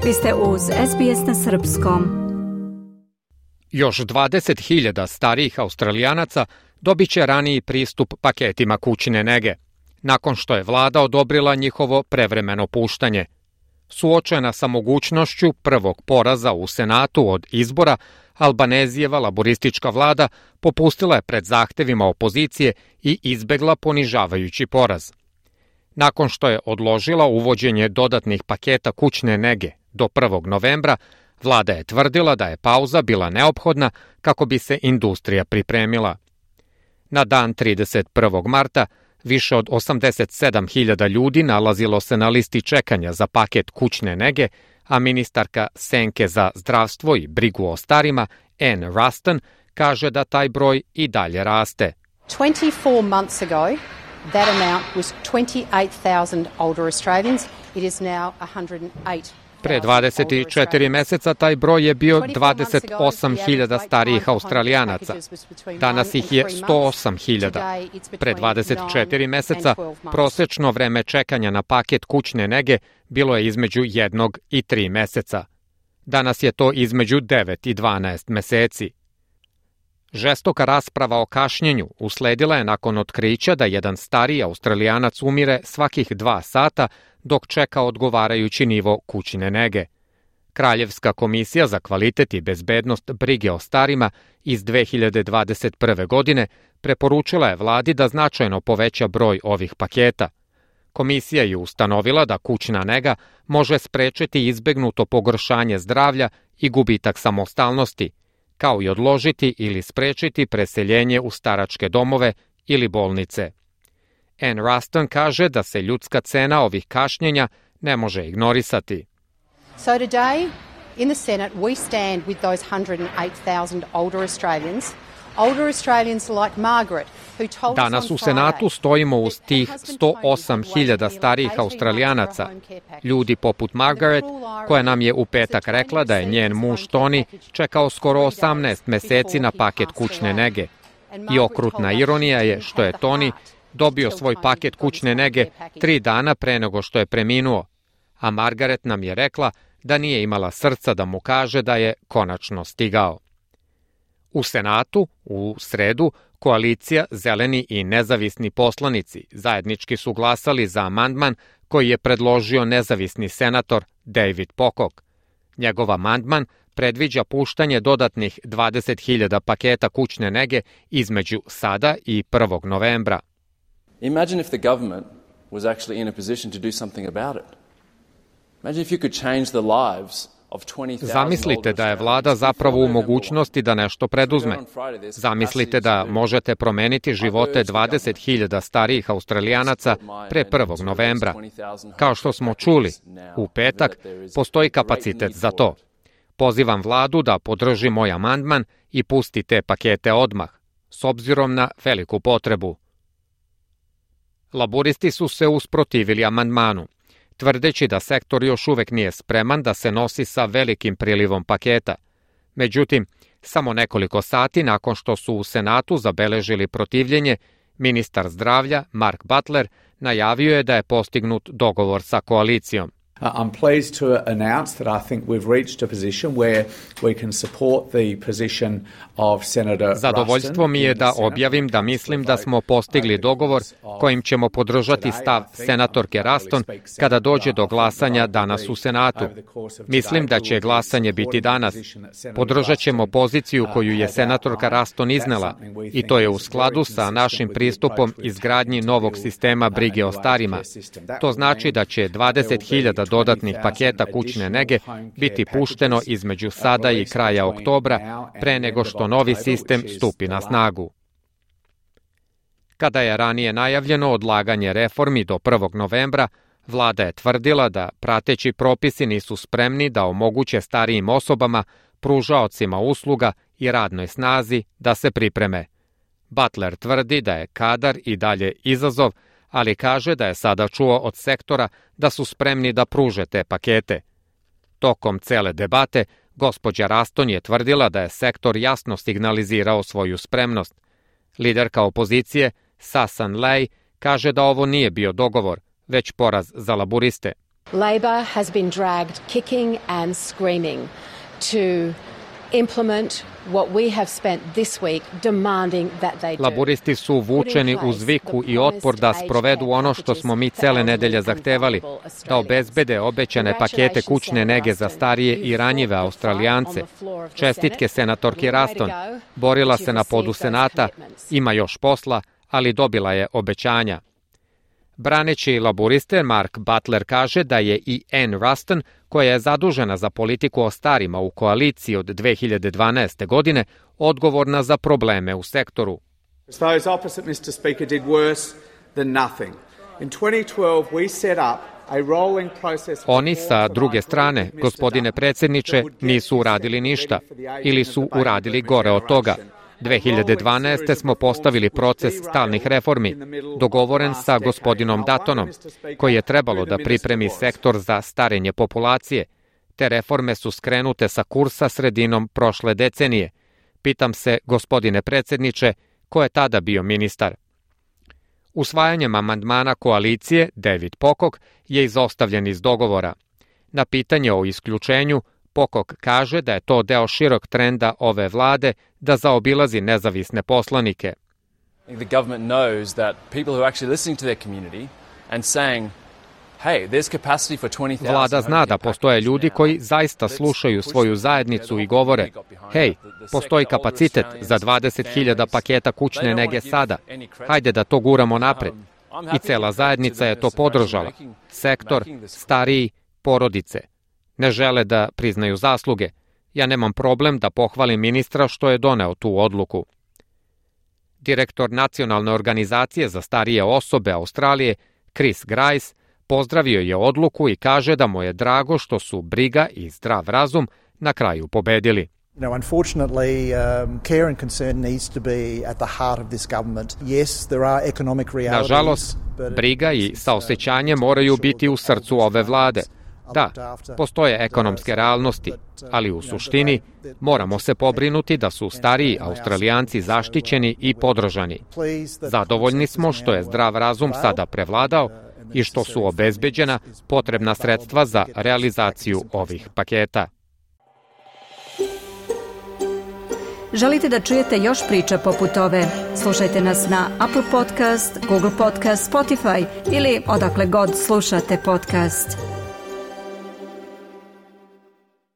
Vi ste uz SBS na srpskom. Još 20.000 starijih Australijanaca dobit će raniji pristup paketima kućne nege, nakon što je vlada odobrila njihovo prevremeno puštanje. Suočena sa mogućnošću prvog poraza u Senatu od izbora, Albanezijeva laboristička vlada popustila je pred zahtevima opozicije i izbegla ponižavajući poraz. Nakon što je odložila uvođenje dodatnih paketa kućne nege do 1. novembra, vlada je tvrdila da je pauza bila neophodna kako bi se industrija pripremila. Na dan 31. marta više od 87.000 ljudi nalazilo se na listi čekanja za paket kućne nege, a ministarka Senke za zdravstvo i brigu o starima, Anne Ruston, kaže da taj broj i dalje raste. 24 months ago, that amount was 28,000 older Australians. It is now 108. Pre 24 meseca taj broj je bio 28.000 starijih Australijanaca. Danas ih je 108.000. Pre 24 meseca prosečno vreme čekanja na paket kućne nege bilo je između 1 i 3 meseca. Danas je to između 9 i 12 meseci. Žestoka rasprava o kašnjenju usledila je nakon otkrića da jedan stariji Australijanac umire svakih 2 sata dok čeka odgovarajući nivo kućne nege. Kraljevska komisija za kvalitet i bezbednost brige o starima iz 2021. godine preporučila je vladi da značajno poveća broj ovih paketa. Komisija je ustanovila da kućna nega može sprečiti izbegnuto pogoršanje zdravlja i gubitak samostalnosti, kao i odložiti ili sprečiti preseljenje u staračke domove ili bolnice. Anne Ruston kaže da se ljudska cena ovih kašnjenja ne može ignorisati. So today in the Senate we stand with those 108,000 older Australians. Older Australians like Margaret, who told us Danas u Senatu stojimo uz tih 108.000 starijih Australijanaca, ljudi poput Margaret, koja nam je u petak rekla da je njen muž Tony čekao skoro 18 meseci na paket kućne nege. I okrutna ironija je što je Tony dobio svoj paket kućne nege 3 dana pre nego što je preminuo, a Margaret nam je rekla da nije imala srca da mu kaže da je konačno stigao. U Senatu, u sredu, koalicija Zeleni i nezavisni poslanici zajednički su glasali za amandman koji je predložio nezavisni senator David Pocock. Njegov amandman predviđa puštanje dodatnih 20.000 paketa kućne nege između sada i 1. novembra. Imagine if the government was actually in a position to do something about it. Imagine if you could change the lives of 20,000. Zamislite da je vlada zapravo u mogućnosti da nešto preduzme. Zamislite da možete promeniti živote 20.000 starijih Australijanaca pre 1. novembra. Kao što smo čuli, u petak postoji kapacitet za to. Pozivam vladu da podrži moj amandman i pusti te pakete odmah, s obzirom na veliku potrebu. Laboristi su se usprotivili amandmanu, tvrdeći da sektor još uvek nije spreman da se nosi sa velikim prilivom paketa. Međutim, samo nekoliko sati nakon što su u Senatu zabeležili protivljenje, ministar zdravlja Mark Butler najavio je da je postignut dogovor sa koalicijom. I'm pleased to announce that I think we've reached a position where we can support the position of Senator Ruston. Zadovoljstvo mi je da objavim da mislim da smo postigli dogovor kojim ćemo podržati stav senatorke Ruston kada dođe do glasanja danas u Senatu. Mislim da će glasanje biti danas. Podržat ćemo poziciju koju je senatorka Ruston iznela i to je u skladu sa našim pristupom izgradnji novog sistema brige o starima. To znači da će 20.000 dodatnih paketa kućne nege biti pušteno između sada i kraja oktobra, pre nego što novi sistem stupi na snagu. Kada je ranije najavljeno odlaganje reformi do 1. novembra, vlada je tvrdila da prateći propisi nisu spremni da omoguće starijim osobama, pružaocima usluga i radnoj snazi da se pripreme. Butler tvrdi da je kadar i dalje izazov, ali kaže da je sada čuo od sektora da su spremni da pruže te pakete. Tokom cele debate, gospođa Ruston je tvrdila da je sektor jasno signalizirao svoju spremnost. Liderka opozicije, Susan Ley, kaže da ovo nije bio dogovor, već poraz za laburiste. Labor has been dragged kicking and screaming to implement what we have spent this week demanding that they do. Laburisti su vučeni uz viku i otpor da sprovedu ono što smo mi cele nedelje zahtevali, da obezbede obećane pakete kućne nege za starije i ranjive Australijance. Čestitke senatorki Ruston, borila se na podu Senata, ima još posla, ali dobila je obećanja. Braneći laburiste, Mark Butler kaže da je i Ann Ruston, koja je zadužena za politiku o starima u koaliciji od 2012. godine, odgovorna za probleme u sektoru. Those opposite Mr. Speaker did worse than nothing. In 2012 we set up a rolling process. Oni sa druge strane, gospodine predsjedniče, nisu uradili ništa ili su uradili gore od toga. 2012. smo postavili proces stalnih reformi, dogovoren sa gospodinom Duttonom, koji je trebalo da pripremi sektor za starenje populacije. Te reforme su skrenute sa kursa sredinom prošle decenije. Pitam se, gospodine predsjedniče, ko je tada bio ministar? Usvajanjem amandmana koalicije, David Pocock je izostavljen iz dogovora. Na pitanje o isključenju, Pocock kaže da je to deo širok trenda ove vlade da zaobilazi nezavisne poslanike. The government knows that people who are actually listening to their community and saying, hey, there's capacity for 20,000. Vlada zna da postoje ljudi koji zaista slušaju svoju zajednicu i govore, hej, postoji kapacitet za 20,000 paketa kućne nege sada. Hajde da to guramo napred. I cela zajednica je to podržala. Sektor, stariji, porodice. Ne žele da priznaju zasluge. Ja nemam problem da pohvalim ministra što je doneo tu odluku. Direktor Nacionalne organizacije za starije osobe Australije, Chris Grice, pozdravio je odluku i kaže da mu je drago što su briga i zdrav razum na kraju pobedili. Unfortunately, care and concern needs to be at the heart of this government. Yes, there are economic realities. Nažalost, briga i saosećanje moraju biti u srcu ove vlade. Da, postoje ekonomske realnosti, ali u suštini moramo se pobrinuti da su stariji Australijanci zaštićeni i podržani. Zadovoljni smo što je zdrav razum sada prevladao i što su obezbeđena potrebna sredstva za realizaciju ovih paketa. Želite da čujete još priča poput ove? Slušajte nas na Apple Podcast, Google Podcast, Spotify ili odakle god slušate podcast.